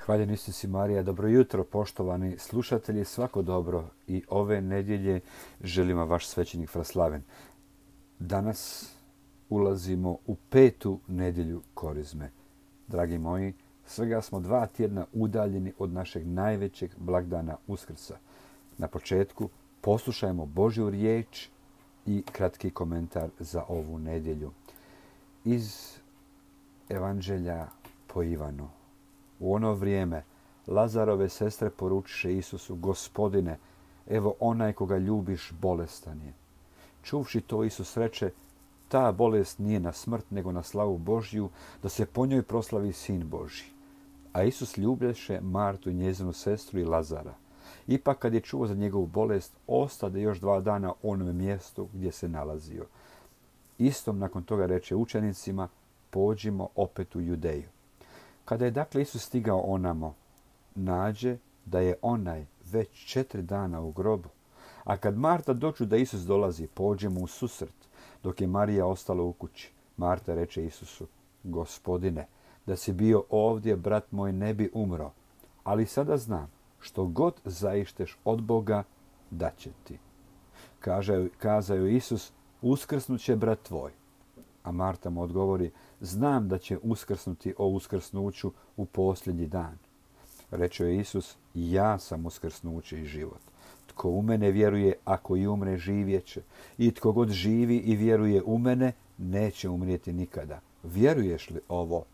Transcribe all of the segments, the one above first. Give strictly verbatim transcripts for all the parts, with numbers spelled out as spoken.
Hvaljen Isus i Marija, dobro jutro poštovani slušatelji, svako dobro i ove nedjelje želimo vaš svećenik Fraslaven. Danas ulazimo u petu nedjelju Korizme. Dragi moji, svega smo dva tjedna udaljeni od našeg najvećeg blagdana Uskrsa. Na početku poslušajmo Božju riječ i kratki komentar za ovu nedjelju. Iz Evanđelja po Ivanu. U ono vrijeme Lazarove sestre poručiše Isusu: Gospodine, evo onaj koga ljubiš bolestan je. Čuvši to, Isus reče: ta bolest nije na smrt, nego na slavu Božju, da se po njoj proslavi Sin Božji. A Isus ljublješe Martu i njezinu sestru i Lazara. Ipak kad je čuo za njegovu bolest, ostade još dva dana u onome mjestu gdje se nalazio. Istom nakon toga reče učenicima: pođimo opet u Judeju. Kada je dakle Isus stigao onamo, nađe da je onaj već četiri dana u grobu. A kad Marta doču da Isus dolazi, pođe mu u susret, dok je Marija ostala u kući. Marta reče Isusu: Gospodine, da si bio ovdje, brat moj ne bi umro. Ali sada znam, što god zaišteš od Boga, da će ti. Kaže, kazao Isus: uskrsnut će brat tvoj. A Marta mu odgovori: znam da će uskrsnuti o uskrsnuću u posljednji dan. Reče je Isus: ja sam uskrsnuće i život. Tko u mene vjeruje, ako i umre, živjet će. I tko god živi i vjeruje u mene, neće umrijeti nikada. Vjeruješ li ovo?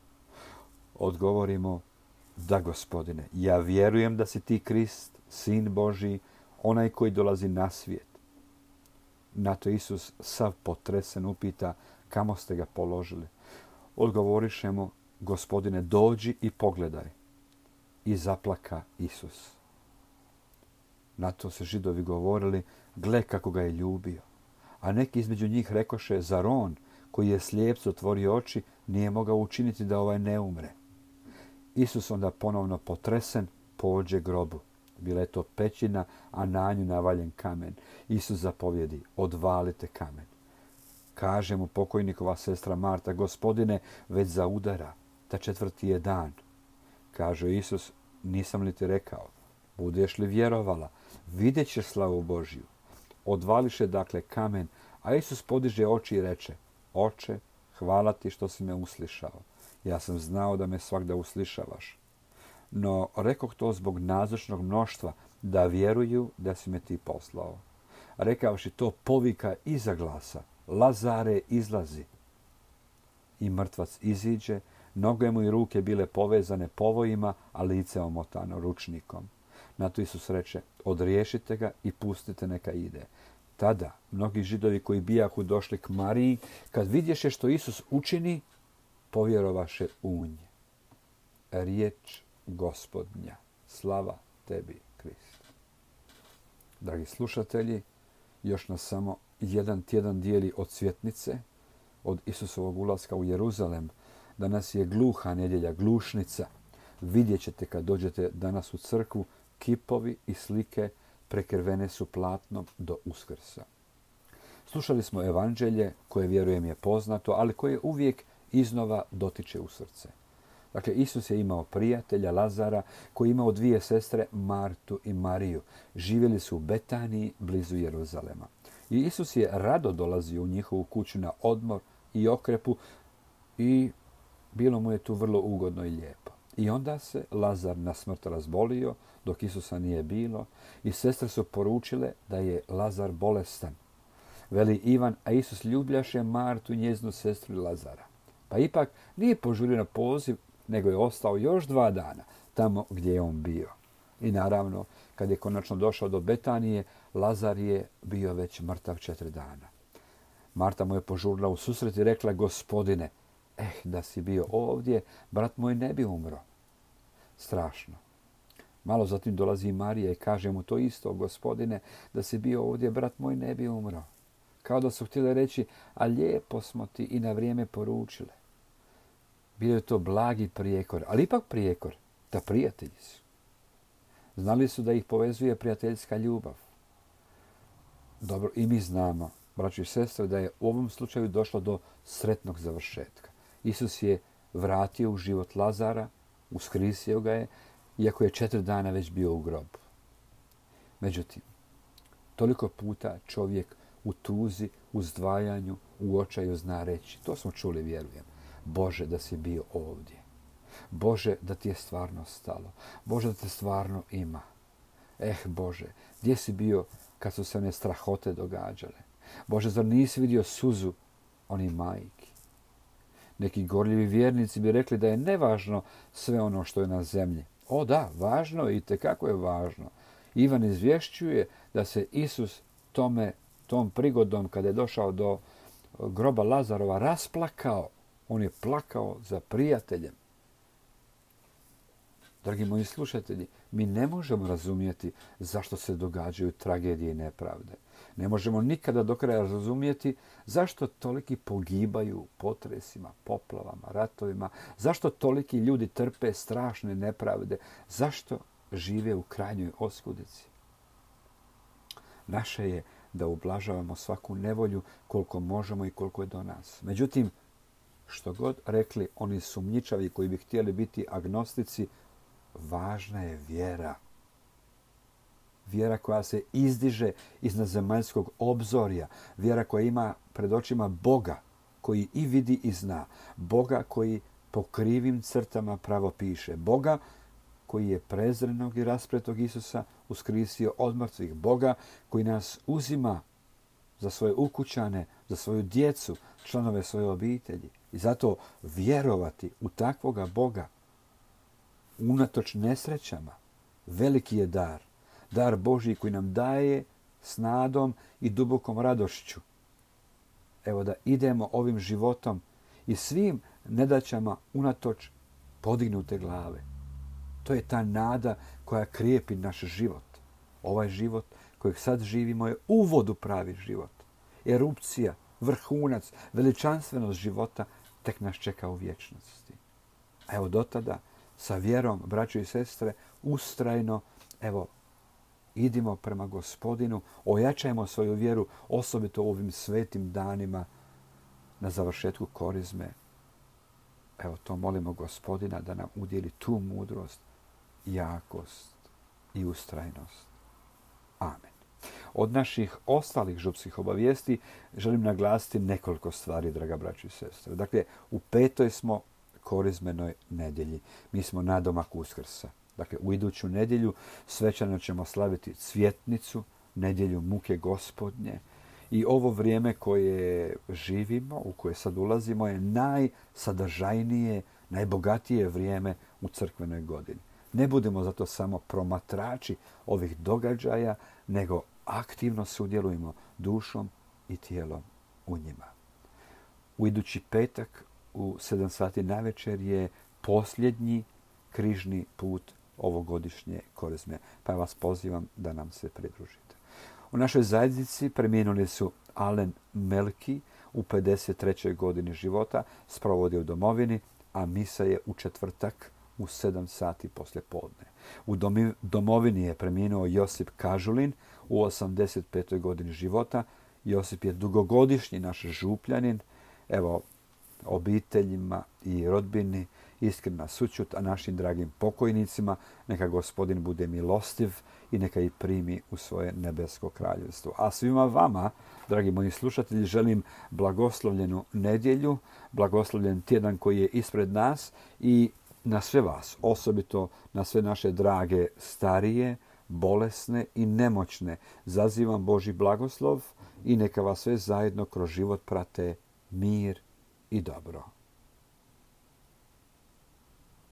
Odgovorimo: da, Gospodine, ja vjerujem da si ti Krist, Sin Božji, onaj koji dolazi na svijet. Na to Isus sav potresen upita: kamo ste ga položili? Odgovoriše mu: Gospodine, dođi i pogledaj. I zaplaka Isus. Na to se Židovi govorili: gle kako ga je ljubio. A neki između njih rekoše: zar on, koji je slijepcu otvorio oči, nije mogao učiniti da ovaj ne umre? Isus onda ponovno potresen pođe grobu. Bila je to pećina, a na nju navaljen kamen. Isus zapovjedi: odvalite kamen. Kaže mu pokojnikova sestra Marta: Gospodine, već zaudara, ta četvrti je dan. Kaže Isus: nisam li ti rekao, budeš li vjerovala, vidjet ćeš slavu Božju. Odvališe dakle kamen, a Isus podiže oči i reče: Oče, hvala ti što si me uslišao. Ja sam znao da me svagda uslišavaš. No rekoh to zbog nazočnog mnoštva, da vjeruju da si me ti poslao. Rekavši to, povika iza glasa: Lazare, izlazi. I mrtvac iziđe, noge mu i ruke bile povezane povojima, a lice omotano ručnikom. Na to Isus reče: odriješite ga i pustite neka ide. Tada mnogi Židovi koji bijahu došli k Mariji, kad vidješe što Isus učini, povjerovaše u nje. Riječ Gospodnja. Slava tebi, Krist. Dragi slušatelji, još nas samo jedan tjedan dijeli od svjetnice, od Isusovog ulaska u Jeruzalem. Danas je gluha nedjelja, glušnica. Vidjet ćete kad dođete danas u crkvu, kipovi i slike prekrivene su platnom do Uskrsa. Slušali smo evanđelje koje, vjerujem, je poznato, ali koje uvijek iznova dotiče u srce. Dakle, Isus je imao prijatelja Lazara koji je imao dvije sestre, Martu i Mariju. Živjeli su u Betaniji, blizu Jeruzalema. I Isus je rado dolazio u njihovu kuću na odmor i okrepu i bilo mu je tu vrlo ugodno i lijepo. I onda se Lazar na smrt razbolio, dok Isusa nije bilo, i sestre su poručile da je Lazar bolestan. Veli Ivan: a Isus ljubljaše Martu i njezinu sestru i Lazara. Pa ipak nije požurio na poziv, nego je ostao još dva dana tamo gdje je on bio. I naravno, kad je konačno došao do Betanije, Lazar je bio već mrtav četiri dana. Marta mu je požurila u susret i rekla: Gospodine, eh, da si bio ovdje, brat moj ne bi umro. Strašno. Malo zatim dolazi Marija i kaže mu to isto: Gospodine, da si bio ovdje, brat moj ne bi umro. Kao da su htjeli reći: a lijepo smo ti i na vrijeme poručile. Bio je to blagi prijekor, ali ipak prijekor, da prijatelji su. Znali su da ih povezuje prijateljska ljubav. Dobro, i mi znamo, braći i sestre, da je u ovom slučaju došlo do sretnog završetka. Isus je vratio u život Lazara, uskrisio ga je iako je četiri dana već bio u grobu. Međutim, toliko puta čovjek u tuzi, u zdvajanju, u očaju zna reći, to smo čuli, vjerujem, Bože da si bio ovdje. Bože da ti je stvarno stalo. Bože da te stvarno ima. Eh Bože, gdje si bio kad su se one strahote događale? Bože, zar nisi vidio suzu onih majki? Neki gorljivi vjernici bi rekli da je nevažno sve ono što je na zemlji. O da, važno je i tekako je važno. Ivan izvješćuje da se Isus tome, tom prigodom kada je došao do groba Lazarova rasplakao. On je plakao za prijateljem. Dragi moji slušatelji, mi ne možemo razumjeti zašto se događaju tragedije i nepravde. Ne možemo nikada do kraja razumjeti zašto toliki pogibaju potresima, poplavama, ratovima, zašto toliki ljudi trpe strašne nepravde, zašto žive u krajnjoj oskudici. Naše je da ublažavamo svaku nevolju koliko možemo i koliko je do nas. Međutim, što god rekli oni sumnjičavi koji bi htjeli biti agnostici, važna je vjera. Vjera koja se izdiže iznad zemaljskog obzorja. Vjera koja ima pred očima Boga koji i vidi i zna. Boga koji po krivim crtama pravo piše. Boga koji je prezrenog i raspretog Isusa uskrisio od mrtvih. Boga koji nas uzima za svoje ukućane, za svoju djecu, članove svoje obitelji. I zato vjerovati u takvoga Boga unatoč nesrećama veliki je dar. Dar Božji koji nam daje s nadom i dubokom radošću. Evo da idemo ovim životom i svim nedaćama unatoč podignute glave. To je ta nada koja krijepi naš život. Ovaj život kojeg sad živimo je uvod u pravi život. Erupcija, vrhunac, veličanstvenost života tek nas čeka u vječnosti. A evo do tada sa vjerom, braćo i sestre, ustrajno, evo, idimo prema Gospodinu, ojačajmo svoju vjeru, osobito u ovim svetim danima na završetku korizme. Evo, to molimo Gospodina da nam udjeli tu mudrost, jakost i ustrajnost. Amen. Od naših ostalih župskih obavijesti želim naglasiti nekoliko stvari, draga braćo i sestre. Dakle, u petoj smo korizmenoj nedjelji. Mi smo nadomak Uskrsa. Dakle, u iduću nedjelju svečano ćemo slaviti Cvjetnicu, nedjelju muke Gospodnje. I ovo vrijeme koje živimo, u koje sad ulazimo, je najsadržajnije, najbogatije vrijeme u crkvenoj godini. Ne budemo zato samo promatrači ovih događaja, nego aktivno sudjelujemo dušom i tijelom u njima. U idući petak u sedam sati navečer je posljednji križni put ovogodišnje korizme, pa vas pozivam da nam se pridružite. U našoj zajednici preminuli su Alen Melki u pedeset trećoj godini života, sprovodi u domovini, a misa je u četvrtak u sedam sati poslje podne. U domovini je preminuo Josip Kažulin u osamdeset petoj godini života. Josip je dugogodišnji naš župljanin. Evo, obiteljima i rodbini iskrena sućut, a našim dragim pokojnicima neka Gospodin bude milostiv i neka ih primi u svoje nebesko kraljevstvo. A svima vama, dragi moji slušatelji, želim blagoslovljenu nedjelju, blagoslovljen tjedan koji je ispred nas i na sve vas, osobito na sve naše drage starije, bolesne i nemoćne, zazivam Božji blagoslov i neka vas sve zajedno kroz život prate mir i dobro.